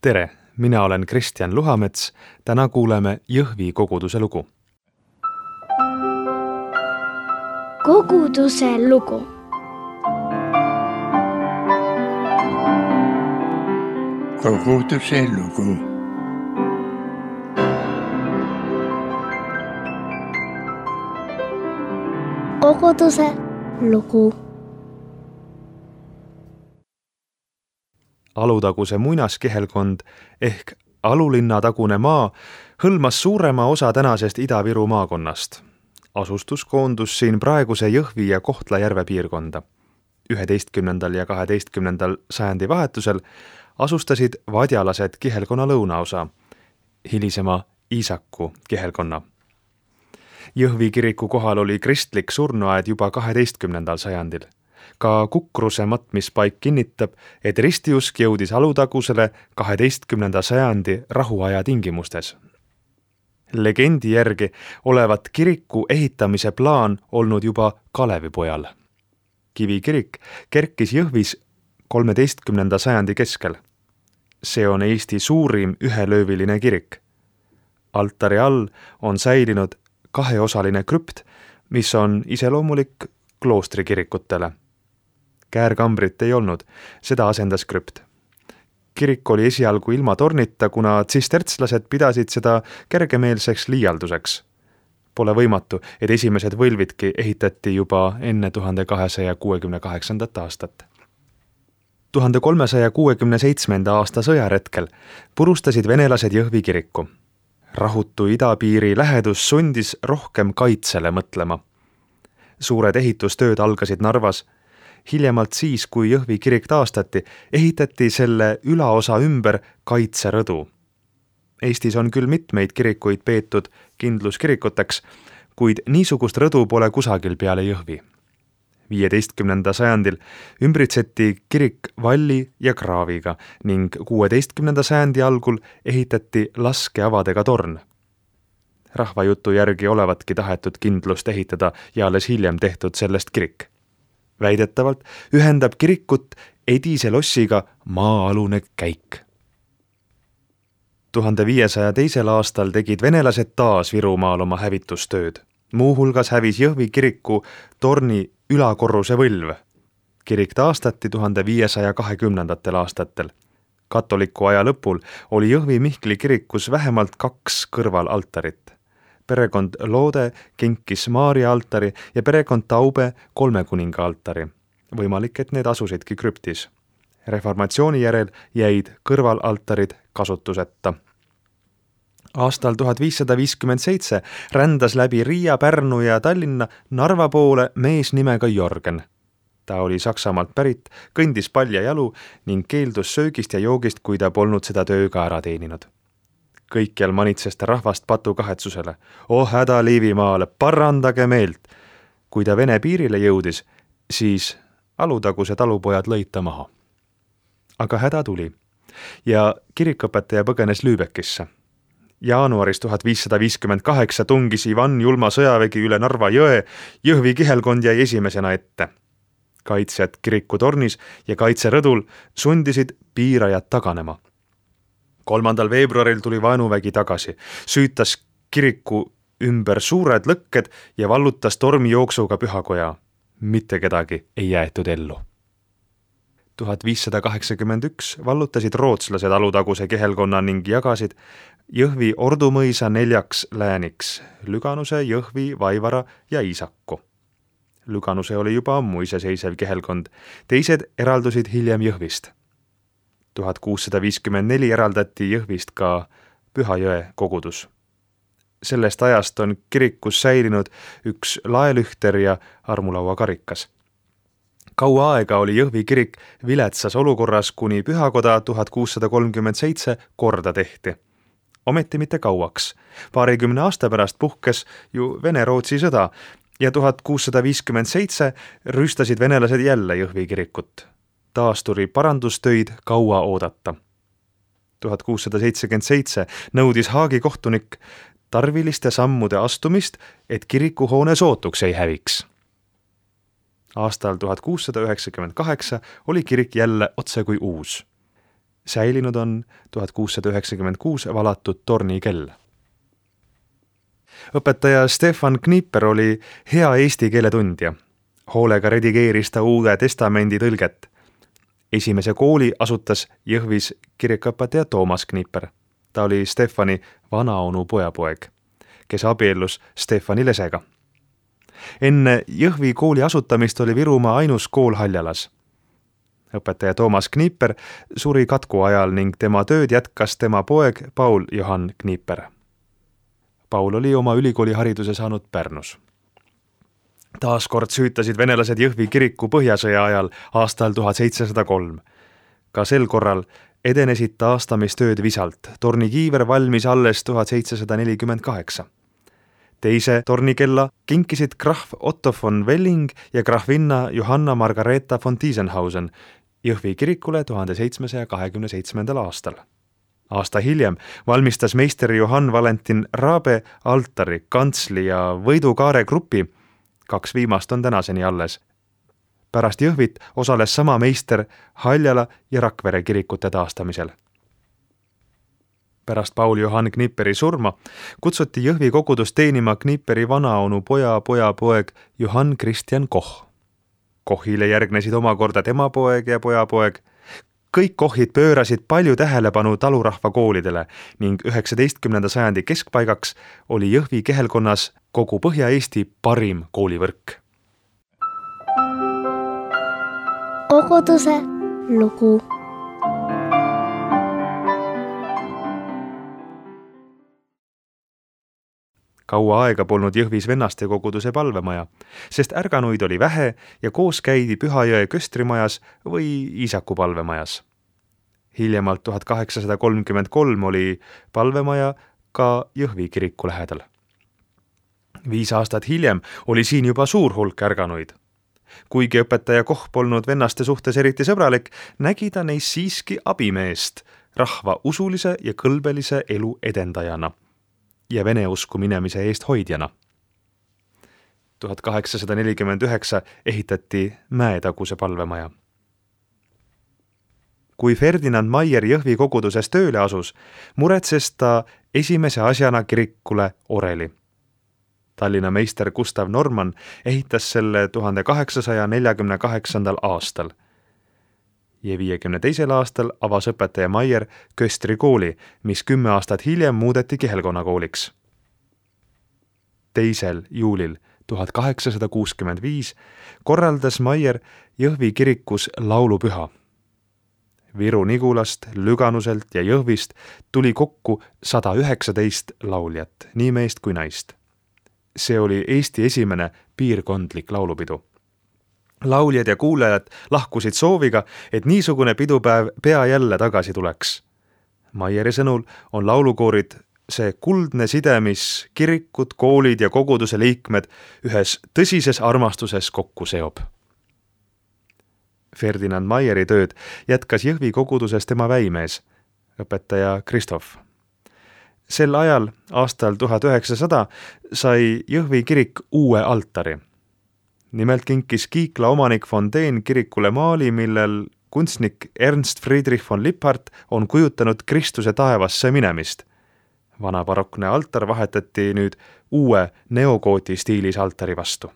Tere, mina olen Kristjan Luhamets. Täna kuuleme Jõhvi koguduse lugu. Koguduse lugu. Koguduse lugu. Koguduse lugu. Alutaguse muinaskehelkond ehk Alulinna tagune maa hõlmas suurema osa tänasest Ida-Viru maakonnast. Asustus koondus siin praeguse Jõhvi ja Kohtla-Järve piirkonda. 11. ja 12. sajandi vahetusel asustasid vadjalased kihelkonna lõunaosa, hilisema Iisaku kihelkonna. Jõhvi kiriku kohal oli kristlik surnuaed juba 12. sajandil. Ka Kukruse matmispaik kinnitab, et ristiusk jõudis Alutagusele 12. sajandi rahuaja tingimustes. Legendi järgi olevat kiriku ehitamise plaan olnud juba Kalevipojal. Kivikirik kerkis Jõhvis 13. sajandi keskel. See on Eesti suurim ühelööviline kirik. Altari all on säilinud kaheosaline krüpt, mis on iseloomulik kloostrikirikutele. Käärkambrit ei olnud, seda asendas krüpt. Kirik oli esialgu ilma tornita, kuna tsistertslased pidasid seda kergemeelseks liialduseks. Pole võimatu, et esimesed võlvidki ehitati juba enne 1268. aastat. 1367. aasta sõjaretkel purustasid venelased Jõhvi kiriku. Rahutu idapiiri lähedus sundis rohkem kaitsele mõtlema. Suured ehitustööd algasid Narvas. Hiljemalt siis, kui Jõhvi kirik taastati, ehitati selle ülaosa ümber kaitserõdu. Eestis on küll mitmeid kirikuid peetud kindluskirikuteks, kuid niisugust rõdu pole kusagil peale Jõhvi. 15. sajandil ümbritseti kirik valli ja kraaviga ning 16. sajandi algul ehitati laskeavadega torn. Rahvajutu järgi olevatki tahetud kindlust ehitada ja alles hiljem tehtud sellest kirik. Väidetavalt ühendab kirikut Edise lossiga maa-alune käik. 1502. aastal tegid venelased taas Virumaal oma hävitustööd. Muuhulgas hävis Jõhvi kiriku torni ülakorruse võlv. Kirik taastati 1520. aastatel. Katoliku aja lõpul oli Jõhvi Mihkli kirikus vähemalt 2 kõrvalaltarit. Perekond Loode kinkis Maarja altari ja perekond Taube 3 kuninga altari. Võimalik, et need asusidki krüptis. Reformatsiooni järel jäid kõrvalaltarid kasutuseta. Aastal 1557 rändas läbi Riia, Pärnu ja Tallinna Narva poole mees nimega Jorgen. Ta oli Saksamaalt pärit, kõndis paljajalu ning keeldus söögist ja joogist, kui ta polnud seda tööga ära teeninud. Kõikjal manitses ta rahvast patukahetsusele. Oh häda Liivimaale, parandage meelt! Kui ta Vene piirile jõudis, siis Alutaguse talupojad lõid ta maha. Aga häda tuli ja kirikõpetaja põgenes Lübeckisse. Jaanuaris 1558 tungis Ivan julma sõjavägi üle Narva jõe, Jõhvi kihelkond jäi esimesena ette. Kaitsjad kirikutornis ja kaitserõdul sundisid piirajad taganema. 3. veebruaril tuli vaenuvägi tagasi, süütas kiriku ümber suured lõkked ja vallutas tormijooksuga pühakoja. Mitte kedagi ei jäetud ellu. 1581 vallutasid rootslased Alutaguse kihelkonna ning jagasid Jõhvi Ordumõisa 4 lääniks, Lüganuse, Jõhvi, Vaivara ja Iisaku. Lüganuse oli juba ammu iseseisev kihelkond, teised eraldusid hiljem Jõhvist. 1654 eraldati Jõhvist ka Pühajõe kogudus. Sellest ajast on kirikus säilinud üks laelühter ja armulauakarikas. Kaua aega oli Jõhvi kirik viletsas olukorras, kuni pühakoda 1637 korda tehti. Ometi mitte kauaks. 20 aasta pärast puhkes ju Vene-Rootsi sõda ja 1657 rüüstasid venelased jälle Jõhvi kirikut. Taas tuli parandustöid kaua oodata. 1677 nõudis Haagi kohtunik tarviliste sammude astumist, et kirikuhoone sootuks ei häviks. Aastal 1698 oli kirik jälle otse kui uus. Säilinud on 1696 valatud tornikell. Õpetaja Stefan Kniper oli hea eesti keele tundja. Hoolega redigeeris ta Uude Testamendi tõlget. Esimese kooli asutas Jõhvis kirikuõpetaja Toomas Kniper. Ta oli Stefani vanaonu pojapoeg, kes abiellus Stefani lesega. Enne Jõhvi kooli asutamist oli Virumaa ainus kool Haljalas. Õpetaja Toomas Kniper suri katku ajal ning tema tööd jätkas tema poeg Paul Johann Kniper. Paul oli oma ülikoolihariduse saanud Pärnus. Taaskord süütasid venelased Jõhvi kiriku põhjasõja ajal aastal 1703. Ka sel korral edenesid taastamistööd visalt. Tornikiiver valmis alles 1748. Teise tornikella kinkisid krahv Otto von Welling ja krahvinna Johanna Margareeta von Tiesenhausen Jõhvi kirikule 1727. aastal. Aasta hiljem valmistas meister Johann Valentin Raabe altari, kantsli ja võidukaare grupi. 2 viimast on tänaseni alles. Pärast Jõhvit osales sama meister Haljala ja Rakvere kirikute taastamisel. Pärast Paul Johann Kniperi surma kutsuti Jõhvi kogudus teenima Kniperi vanaonu pojapoeg Johann Christian Koch. Kochile järgnesid omakorda tema poeg ja pojapoeg. Kõik Kochid pöörasid palju tähelepanu talurahva koolidele ning 19. sajandi keskpaigaks oli Jõhvi kehelkonnas kogu Põhja-Eesti parim koolivõrk. Koguduse lugu. Kaua aega polnud Jõhvis vennaste koguduse palvemaja, sest ärganuid oli vähe ja koos käidi Pühajõe köstrimajas või Iisaku palvemajas. Hiljemalt 1833 oli palvemaja ka Jõhvi kiriku lähedal. 5 aastat hiljem oli siin juba suur hulk ärganuid. Kuigi õpetaja Koch polnud vennaste suhtes eriti sõbralik, nägi ta neis siiski abimeest rahva usulise ja kõlbelise elu edendajana ja vene usku minemise eest hoidjana. 1849 ehitati Mäetaguse palvemaja. Kui Ferdinand Maier Jõhvi koguduses tööle asus, muretses ta esimese asjana kirikule oreli. Tallinna meister Gustav Norman ehitas selle 1848. aastal. Ja 52. aastal avas õpetaja Maier Köstri kooli, mis 10 aastat hiljem muudeti kihelkonnakooliks. 2. juulil 1865 korraldas Maier Jõhvi kirikus laulupüha. Viru-Nigulast, Lüganuselt ja Jõhvist tuli kokku 119 lauljat, nii meest kui naist. See oli Eesti esimene piirkondlik laulupidu. Lauljad ja kuulajad lahkusid sooviga, et niisugune pidupäev pea jälle tagasi tuleks. Maieri sõnul on laulukoorid see kuldne side, mis kirikud, koolid ja koguduse liikmed ühes tõsises armastuses kokku seob. Ferdinand Maieri tööd jätkas Jõhvi koguduses tema väimees, õpetaja Kristof. Sel ajal, aastal 1900, sai Jõhvi kirik uue altari. Nimelt kinkis Kiikla omanik von Dehn kirikule maali, millel kunstnik Ernst Friedrich von Lipphardt on kujutanud Kristuse taevasse minemist. Vana barokne altar vahetati nüüd uue neogooti stiilis altari vastu.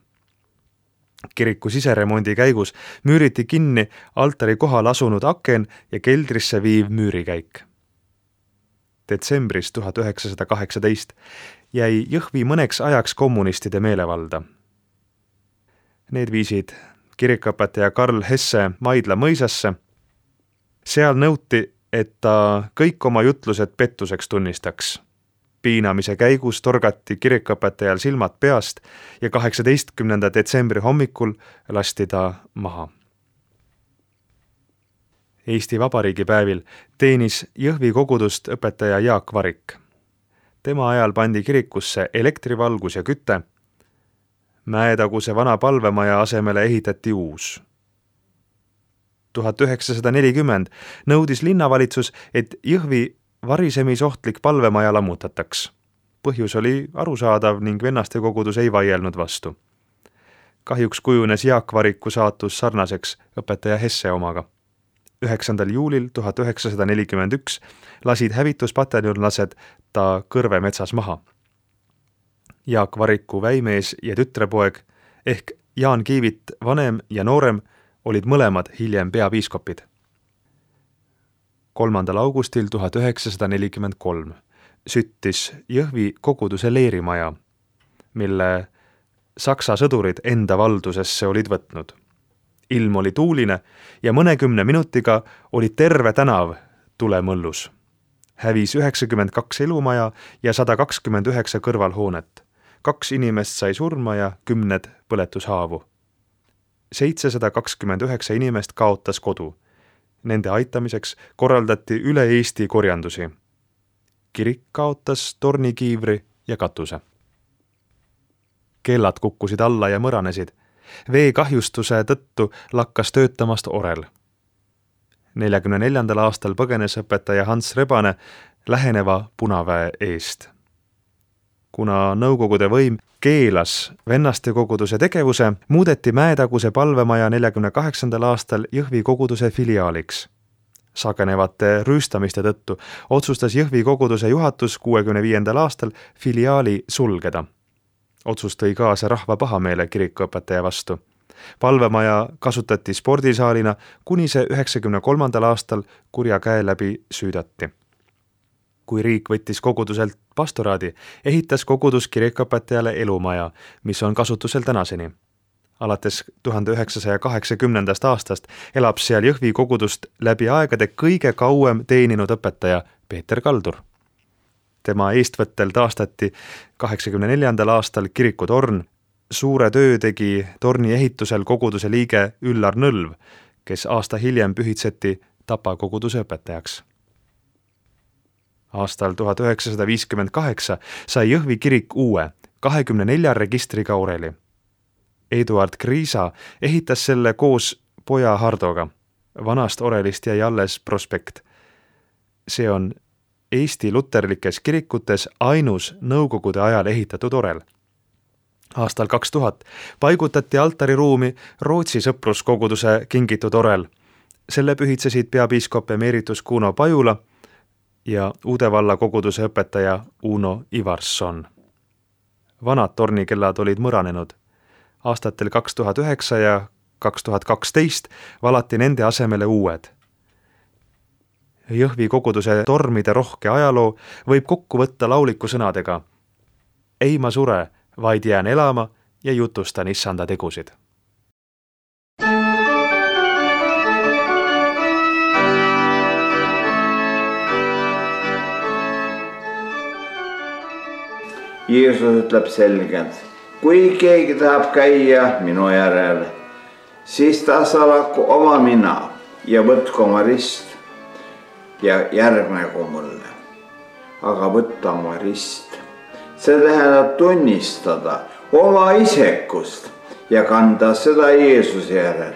Kiriku siseremondi käigus müüriti kinni altari kohal asunud aken ja keldrisse viiv müürikäik. Detsembris 1918 jäi Jõhvi mõneks ajaks kommunistide meelevalda. Need viisid kirikuõpetaja Karl Hesse Maidla mõisasse. Seal nõuti, et ta kõik oma jutlused pettuseks tunnistaks. Piinamise käigus torgati kirikuõpetajal silmad peast ja 18. detsembri hommikul lasti ta maha. Eesti Vabariigi päevil teenis Jõhvi kogudust õpetaja Jaak Varik. Tema ajal pandi kirikusse elektrivalgus ja küte. Mäetaguse vana palvemaja asemele ehitati uus. 1940 nõudis linnavalitsus, et Jõhvi varisemisohtlik palvemaja lammutataks. Põhjus oli arusaadav ning vennaste kogudus ei vaielnud vastu. Kahjuks kujunes Jaak Variku saatus sarnaseks õpetaja Hesse omaga. 9. juulil 1941 lasid hävituspataljonlased ta Kõrve metsas maha. Jaak Variku väimees ja tütrepoeg ehk Jaan Kiivit vanem ja noorem olid mõlemad hiljem peapiiskopid. 3. augustil 1943 süttis Jõhvi koguduse leerimaja, mille Saksa sõdurid enda valdusesse olid võtnud. Ilm oli tuuline ja mõnekümne minutiga oli terve tänav tulemõllus. Hävis 92 elumaja ja 129 kõrvalhoonet. 2 inimest sai surma ja 10 põletushaavu. 729 inimest kaotas kodu. Nende aitamiseks korraldati üle Eesti korjandusi. Kirik kaotas tornikiivri ja katuse. Kellad kukkusid alla ja mõranesid. Veekahjustuse tõttu lakkas töötamast orel. 44. aastal põgenes õpetaja Hans Rebane läheneva punaväe eest. Kuna Nõukogude võim keelas vennaste koguduse tegevuse, muudeti Mäetaguse palvemaja 48. aastal Jõhvi koguduse filiaaliks. Sagenevate rüüstamiste tõttu otsustas Jõhvi koguduse juhatus 65. aastal filiaali sulgeda. Otsus tõi kaasa rahva pahameele kirikuõpetaja vastu. Palvemaja kasutati spordisaalina, kuni see 93. aastal kurja käe läbi süüdati. Kui riik võttis koguduselt pastoraadi, ehitas kogudus kirikuõpetajale elumaja, mis on kasutusel tänaseni. Alates 1980. aastast elab seal Jõhvi kogudust läbi aegade kõige kauem teeninud õpetaja Peeter Kaldur. Tema eestvõttel taastati 84. aastal kirikutorn. Suure töö tegi torni ehitusel koguduse liige Üllar Nõlv, kes aasta hiljem pühitseti Tapa koguduse õpetajaks. Aastal 1958 sai Jõhvi kirik uue 24 registriga oreli. Eduard Kriisa ehitas selle koos poja Hardoga. Vanast orelist jäi alles prospekt. See on Eesti luterlikes kirikutes ainus nõukogude ajal ehitatud orel. Aastal 2000 paigutati altariruumi Rootsi sõpruskoguduse kingitud orel. Selle pühitsesid peapiiskop emeritus Kuno Pajula ja Uudevalla koguduse õpetaja Uno Ivarsson. Vanad tornikellad olid mõranenud. Aastatel 2009 ja 2012 valati nende asemele uued. Jõhvi koguduse tormide rohke ajaloo võib kokku võtta lauliku sõnadega: ei ma sure, vaid jään elama ja jutustan issanda tegusid. Jeesus ütleb selgelt, kui keegi tahab käia minu järel, siis ta salaku oma mina ja võtku oma rist ja järgnegu mulle. Aga võtta oma rist, see tähendab tunnistada oma isekust ja kanda seda Jeesuse järel.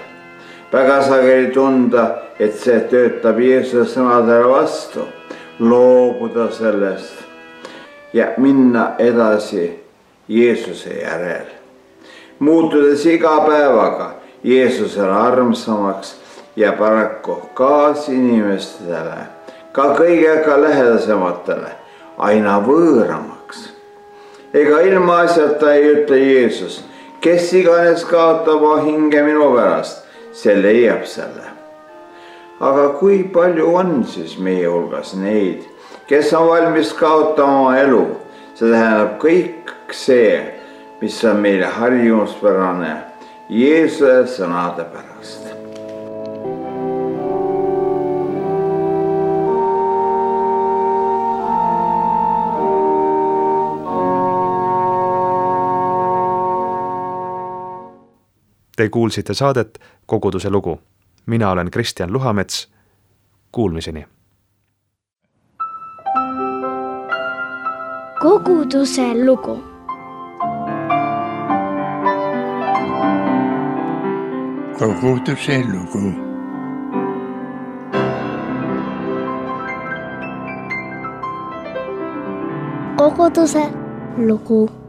Väga sageli tunda, et see töötab Jeesuse sõnadele vastu, loobuda sellest ja minna edasi Jeesuse järel. Muutudes iga päevaga Jeesusele armsamaks ja paraku kaasinimestele, ka kõigega lähedasematele, aina võõramaks. Ega ilma asjata ei ütle Jeesus, kes iganes kaotab hinge minu pärast, see leiab selle. Aga kui palju on siis meie hulgas neid, kes on valmis kaotama oma elu? See tähendab kõik see, mis on meile harjumuspärane Jeesuse sõnade pärast. Te kuulsite saadet Koguduse lugu. Mina olen Kristjan Luhamets. Kuulmiseni. Koguduse lugu. Koguduse lugu. Koguduse lugu.